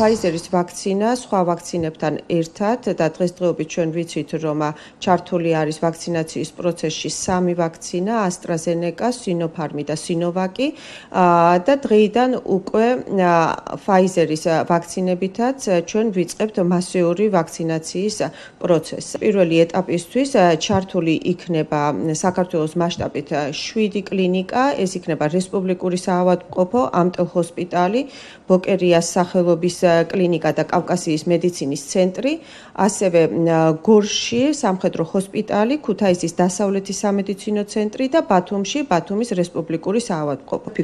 Pfizer-ის ვაქცინა სხვა ვაქცინებთან ერთად და დღესდღეობით ჩვენ ვიცით, რომ ჩართული არის ვაქცინაციის პროცესში 3 ვაქცინა: AstraZeneca, Sinopharm და Sinovac და დღეიდან უკვე Pfizer-ის ვაქცინებითაც ჩვენ ვიწყებთ მასიური ვაქცინაციის პროცესს. პირველი ეტაპისთვის ჩართული იქნება საქართველოს მასშტაბით 7 კლინიკა, ეს იქნება რესპუბლიკური საავადმყოფო, ამტელ-ჰოსპიტალი, ბოკერიას სახელობის კლინიკა და კავკასიის მედიცინის ცენტრი, ასევე გორში სამხედრო ჰოსპიტალი, ქუთაისის დასავლეთის სამედიცინო ცენტრი და ბათუმში ბათუმის რესპუბლიკური საავადმყოფო.